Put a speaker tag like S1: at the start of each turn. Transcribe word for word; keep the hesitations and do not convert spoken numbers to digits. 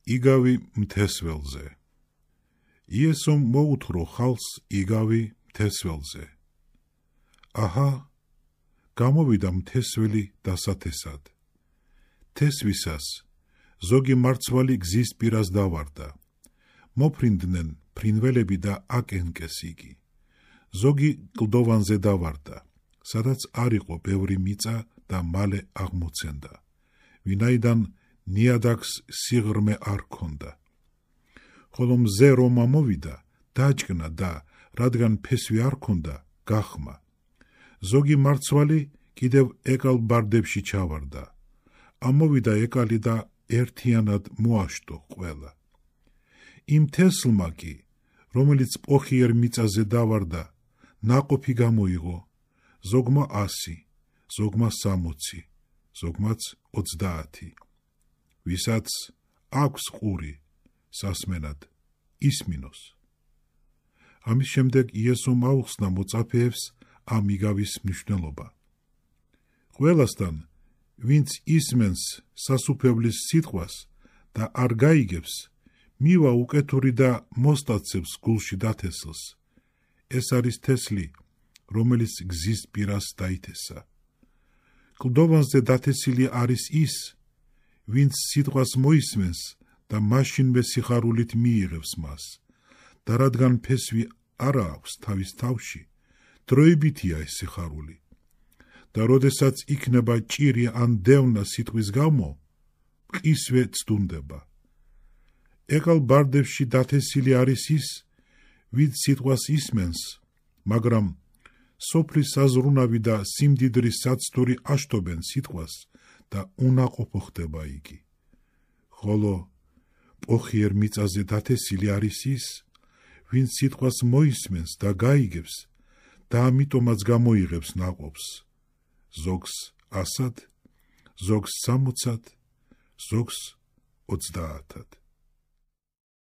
S1: იგავი მთესველზე. იესომ მოუთრო ხალხს იგავი მთესველზე. აჰა, გამოვიდა მთესველი დასათესად. თესვისას ზოგი მარცვალი გზის პირას დავარდა. მოფრინდნენ ფრინველები და აკენკეს იგი. ზოგი კლდოვანზე დავარდა, სადაც არ იყო ბევრი მიწა და მალე აღმოცენდა, ვინაიდან ნიადაგს სიღრმე არ ჰქონდა. ხოლო მზე რომ ამოვიდა, დაჭკნა და რადგან ფესვი არ ჰქონდა, გახმა. ზოგი მარცვალი კიდევ ეკალ ბარდებში ჩავარდა. ამოვიდა ეკალი და ერთიანად მოაშტო ყველა. იმ თესლმა კი, რომელიც პოხიერ მიწაზე დავარდა, ნაყოფი გამოიღო, ზოგმა ასი, ზოგმა სამოცი, ზოგმაც ოცდაათი. ვისაც აქვს ყური სასმენად, ისმინოს. ამის შემდეგ იესომ აუხსნა მოწაფეებს ამ იგავის მნიშვნელობა. ყველასთან, ვინც ისმენს სასუფევლის სიტყვას და არ გაიგებს, მივა უკეთური და მოსტაცებს გულში დათესლს. ეს არის თესლი, რომელიც გზის პირას დაითესა. კლდოვანზე დათესილი არის ის, ვინც სიტყვას მოისმენს და მაშინვე სიხარულით მიიღებს მას. და რადგან ფესვი არ აქვს თავის თავში, დროებითია ეს სიხარული. და როდესაც იქნება ჭირი ან დევნა სიტყვის გამო, მყისვე ცდუნდება. ეკალ ბარდებში დათესილი არის ის, ვინც სიტყვას ისმენს, მაგრამ სოფლის საზრუნავი და სიმდიდრის საცდური აშტობენ სიტყვას და უნაყოფო ხდება იგი. ხოლო პოხიერ მიწაზე დათესილი არის ის, ვინც სიტყვას მოისმენს და გაიგებს და ამიტომაც გამოიღებს ნაყოფს, ზოგს ასად, ზოგს სამოცად, ზოგს ოცდაათად.